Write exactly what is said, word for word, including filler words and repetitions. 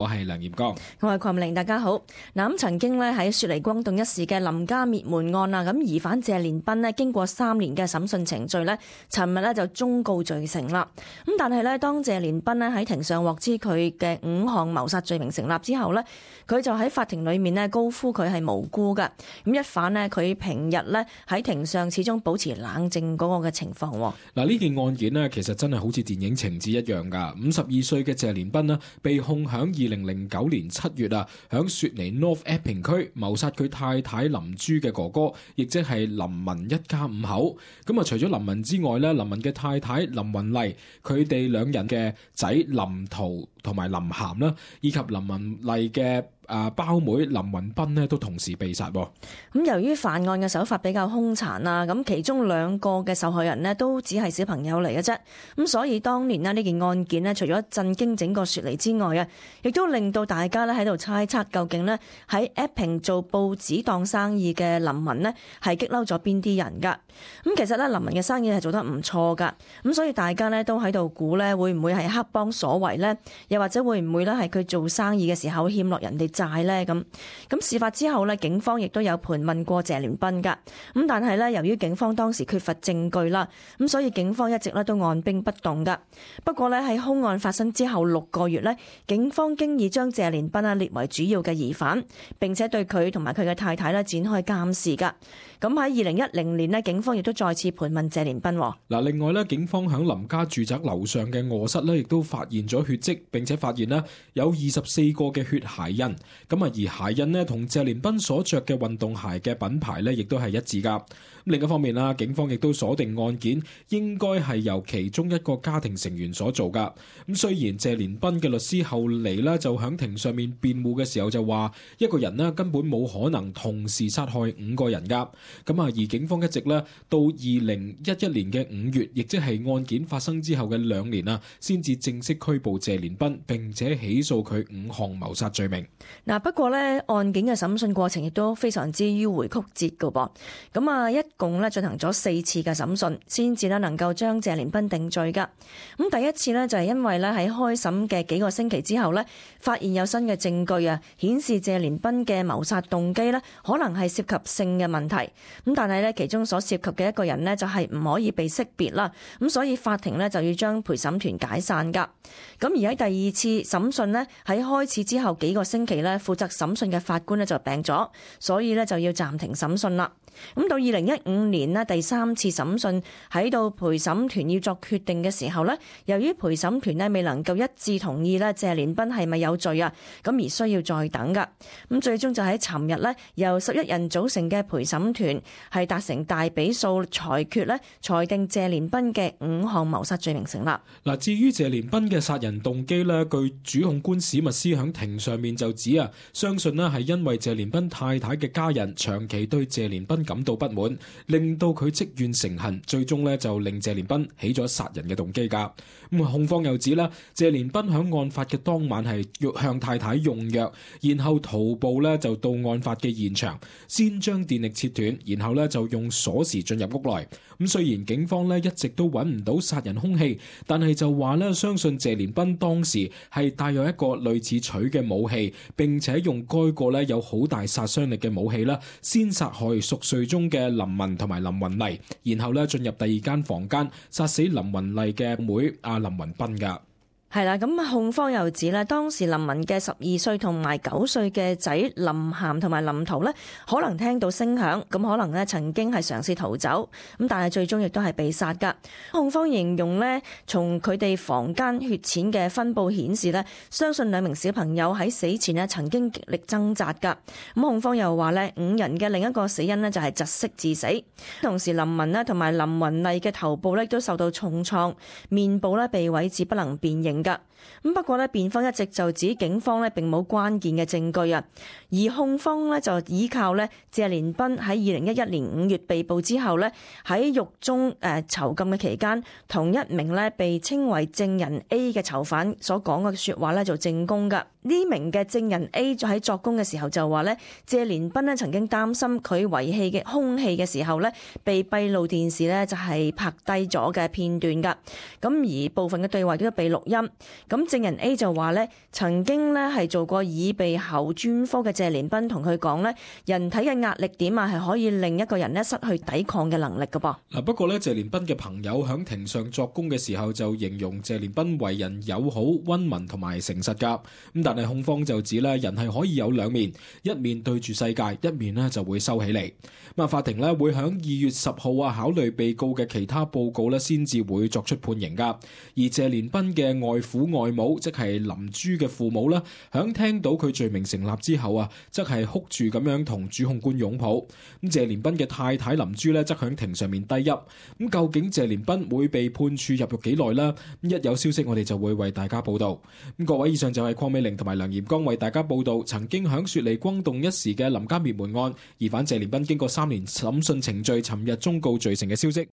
我係梁炎光，我係鄺明，大家好。嗱，咁曾經咧喺雪梨轟動一時嘅林家滅門案啊，咁疑犯謝連斌咧經過三年嘅審訊程序咧，尋日咧就終告罪成啦。咁但係咧，當謝連斌咧喺庭上獲知佢嘅五項謀殺罪名成立之後咧，佢就喺法庭裏面咧高呼佢係無辜噶。咁一反咧佢平日咧喺庭上始終保持冷靜嗰個嘅情況。嗱，呢件案件咧其實真係好似電影情節一樣噶。五十二歲嘅謝連斌咧被控響二零零九年七月啊，響雪梨 North Epping 區謀殺佢太太林珠嘅哥哥，亦即係林文一家五口。咁啊，除咗林文之外咧，林文嘅太太林雲麗，佢哋兩人嘅仔林濤同埋林涵啦，以及林雲麗嘅啊胞妹林雲斌呢都同時被殺。咁由於犯案嘅手法比較兇殘啊，咁其中兩個嘅受害人呢都只係小朋友嚟嘅啫。咁所以當年呢呢件案件呢，除咗震驚整個雪梨之外啊，亦都令到大家咧喺度猜測究竟呢喺 Epping 做報紙檔生意嘅林文呢係激嬲咗邊啲人噶。咁其實咧林文嘅生意係做得唔錯噶，咁所以大家呢都喺度估呢會唔會係黑幫所為呢？又或者會唔會咧係佢做生意嘅時候欠落人哋債呢？咁咁事發之後呢，警方亦都有盤問過謝連斌噶。咁但係呢，由於警方當時缺乏證據啦，咁所以警方一直咧都按兵不動噶。不過呢，喺兇案發生之後六個月呢，警方經已將謝連斌啊列為主要嘅疑犯，並且對佢同埋佢嘅太太咧展開監視噶。咁喺二零一零年呢，警方亦都再次盤問謝連斌。嗱，另外咧，警方響林家住宅樓上嘅臥室咧，亦都發現咗血跡，並且發現咧有二十四個嘅血鞋印。咁啊，而鞋印呢，同謝連斌所着嘅運動鞋嘅品牌咧，亦都係一致噶。另一方面啦，警方亦都鎖定案件應該係由其中一個家庭成員所做噶。咁雖然謝連斌嘅律師後嚟咧就響庭上面辯護嘅時候就話，一個人呢根本冇可能同時殺害五個人噶。咁啊，而警方一直咧到二零一一年嘅五月，亦即係案件發生之後嘅兩年啊，先至正式拘捕謝連斌，並且起訴佢五項謀殺罪名。嗱，不過咧，案件嘅審訊過程亦都非常之迂迴曲折噶噃。咁啊，一共咧進行咗四次嘅審訊，先至咧能夠將謝連斌定罪噶。咁第一次呢，就係因為咧喺開審嘅幾個星期之後呢，發現有新嘅證據啊，顯示謝連斌嘅謀殺動機呢可能係涉及性嘅問題。咁但係呢，其中所涉及嘅一個人呢，就係唔可以被識別啦。咁所以法庭呢，就要將陪審團解散噶。咁而喺第二次審訊呢，喺開始之後幾個星期呢，負責審訊嘅法官呢就病咗，所以呢就要暫停審訊啦。咁到二零一五年呢，第三次審訊喺到陪審團要作決定嘅時候呢，由於陪審團呢未能夠一致同意呢謝連斌係咪有罪啊，咁而需要再等噶。咁最終就喺尋日呢，由十一人組成嘅陪審團係達成大比數裁決呢，裁定謝連斌嘅五項謀殺罪名成立。嗱，至於謝連斌嘅殺人動機呢，據主控官史密斯響庭上面就指啊，相信呢係因為謝連斌太太嘅家人長期對謝連斌感到不滿，令到佢積怨成恨，最終呢就令謝連斌起咗殺人嘅動機噶。咁控方又指啦，謝連斌響案發嘅當晚係向太太用藥，然後徒步呢就到案發嘅現場，先將電力切斷，然後呢就用鎖匙進入屋內。咁雖然警方呢一直都揾唔到殺人兇器，但係就話呢相信謝連斌當時係帶有一個類似錘嘅武器，並且用該個呢有好大殺傷力嘅武器啦，先殺害熟睡中嘅林文同埋林雲麗，然後呢進入第二間房間殺死林雲麗嘅妹阿林雲斌噶。係啦，咁控方又指咧，當時林文嘅十二歲同埋九歲嘅仔林涵同埋林濤咧，可能聽到聲響，咁可能咧曾經係嘗試逃走，咁但係最終亦都係被殺噶。控方形容咧，從佢哋房間血淺嘅分佈顯示咧，相信兩名小朋友喺死前咧曾經極力掙扎噶。咁控方又話咧，五人嘅另一個死因咧就係窒息致死，同時林文咧同埋林雲麗嘅頭部咧都受到重創，面部咧被毀至不能辨認。咁不過咧，辯方一直就指警方咧並冇關鍵嘅證據啊，而控方咧就依靠咧謝連斌喺二零一一年五月被捕之後咧喺獄中誒囚禁嘅期間，同一名咧被稱為證人 A 嘅囚犯所講嘅說話咧做證供噶。呢名嘅證人 A 就喺作供嘅時候就話咧，謝連斌咧曾經擔心佢遺棄嘅兇器嘅時候咧，被閉路電視咧就係拍低咗嘅片段噶。咁而部分嘅對話都被錄音，咁證人 A 就話咧，曾經咧係做過耳鼻喉專科嘅謝連斌同佢講咧，人體嘅壓力點啊係可以令一個人咧失去抵抗嘅能力㗎噃。嗱，不過咧謝連斌嘅朋友響庭上作供嘅時候就形容謝連斌為人友好、溫文同埋誠實㗎。咁但係控方就指咧，人係可以有兩面，一面對住世界，一面咧就會收起嚟。咁啊，法庭咧會響二月十號啊考慮被告嘅其他報告咧，先至會作出判刑㗎。而謝連斌嘅外父外母，即係林珠嘅父母啦，響聽到佢罪名成立之後啊，則係哭住咁樣同主控官擁抱。咁謝連斌嘅太太林珠咧，則響庭上面低泣。咁究竟謝連斌會被判處入獄幾耐呢？咁一有消息，我哋就會為大家報道。咁各位，以上就係鄺美玲同埋梁炎剛為大家報道曾經響雪梨轟動一時嘅林家滅門案疑犯謝連斌經過三年審訊程序，尋日終告罪成嘅消息。